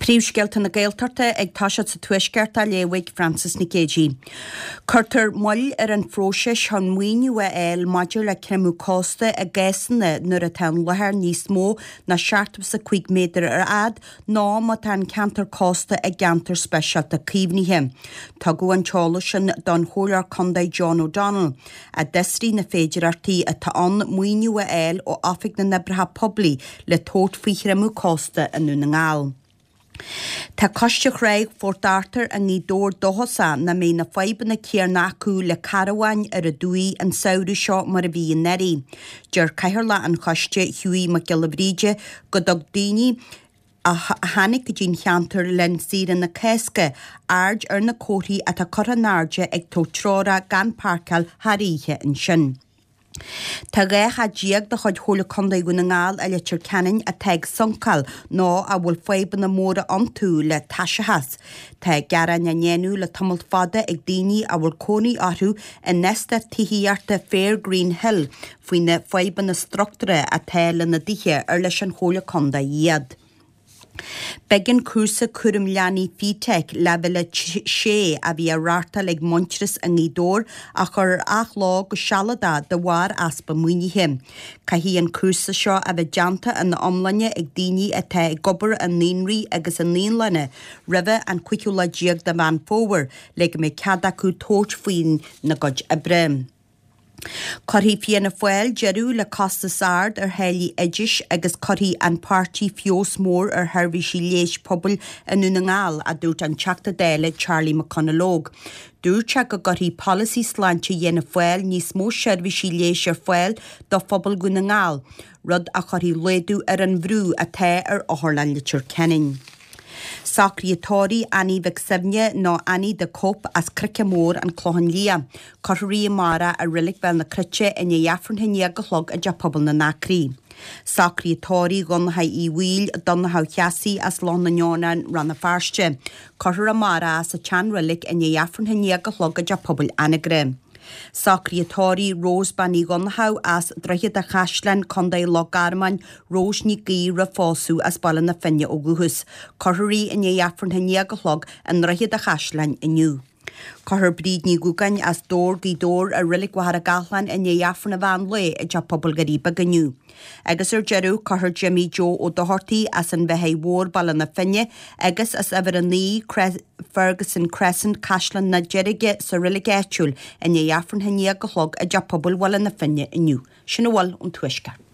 Príomhscéalta na Gaeltachta ag toiseacht sa Tuaisceart á léamh ag Frances Nic Géadaigh. Cuirtear moill ar an phróiseas chun maoiniú a fháil maidir le creimeadh cósta i gcásanna nuair atá an láthair níos mó ná 75 méadar ar fhad nó má tá an ceantar cósta i gceantar speisialta caomhnaithe. Tugadh an t-eolas sin don Chomhairleoir Contae John O'Donnell, a d'fhiosraigh na féidearthachtaí atá ann maoiniú a fháil ó Oifig na nOibreacha Poiblí le tabhairt faoi chreimeadh cósta i nDún na nGall. Tá Coiste Thráigh Phort Arthur i nGaoth Dobhair dóchasach nach mbeidh na fadhbanna céanna acu le carabháin ar an dumhaigh an samhradh seo mar a bhí anuraidh. Deir Cathaoirleach an choiste, Hughie Mac Giolla Bhríde, go dtug daoine a tháinig go dtí'n cheantar le linn saoire na Cásca aird ar na comharthaí atá curtha in airde ag tabhairt treorach gan páirceáil thar oíche ansin. Tá 12 theach de chuid Chomhairle Contae Dhún na nGall i Leitir Ceanainn atá ag suncáil nó a bhfuil fadhbanna móra iontu le taisitheas. Tá gearáin á ndéanamh le tamall fada ag daoine a bhfuil cónaí orthu in eastát tithíochta Fairgreen Hill faoi na fadhbanna struchtúrtha atá lena dtithe ar leis an Chomhairle Contae iad. B'éigean cúrsa cúram leanaí FETAC leibhéal 6 a bhí á reáchtáil ag Muintearas i nGaoth Dobhair a chur ar athló go sealadach de bharr easpa maoinithe. Caithfidh an cúrsa seo a bheith déanta ina iomláine ag daoine atá ag obair i naíonraí agus i naíolanna roimhe an 15ú lá de Mheán Fómhair le go mbeidh cead acu tabhairt faoina gcuid oibre. Cuirfidh Fianna Fáil deireadh le costas ard ar tháillí oidis agus cuirfidh an páirtí feabhas mór ar sheirbhísí leighis pobail i nDún na nGall, a dúirt an Teachta Dála Charlie McConalogue. Dúirt sé go gcuirfidh polasaí sláinte Fhianna Fáil níos mó seirbhísí leighis ar fáil do phobal Dhún na nGall, rud a chuirfidh laghdú ar an bhrú atá ar Otharlann Leitir Ceanainn. Socruithe tórraimh Annie Mhic Suibhne nó Annie the Cope as Croiceadh Mór, An Clochán Liath. Cuirfear í amárach i Reilig Bhéal na Cruite i ndiaidh Aifreann a 11 a chlog i dTeach Pobail na nAcraí. Socruithe tórraimh Dhonncha Uí Bhaoill, Donncha Ó Cheasaigh as Loch na nEonán, Rann na Feirste. Cuirfear amárach é sa tSean-Reilig i ndiaidh Aifreann a 11 a chlog i dTeach Pobail Anagaire. Socruithe tórraimh Rose Bean Uí Dhonnchadha as Droichead a' Chaisleáin, Co. Loch Garman, Rose Nic Aoidh roimh phósadh as Baile na Finne ó dhúchas. Cuirfear í i ndiaidh Aifreann a 11 a chlog i nDroichead a' Chaisleáin inniu. Cuirfear Bríd Ní Dhúgáin as Dobhar, Gaoth Dobhair, i Reilig Mhachaire Gathlán i ndiaidh Aifreann an mheán lae i dTeach Pobail Dhoirí Beaga inniu. Agus ar deireadh, cuirfear Jimmy Joe Ó Dochartaigh as an Bheathaigh Mhór, Baile na Finne, agus as uimhir 9, Ferguson Crescent, Caisleán na Deirge sa reilig áitiúil i ndiaidh Aifreann a 11 a chlog i dTeach Pobail Bhaile na Finne inniu. Sin a bhfuil ón Tuaisceart.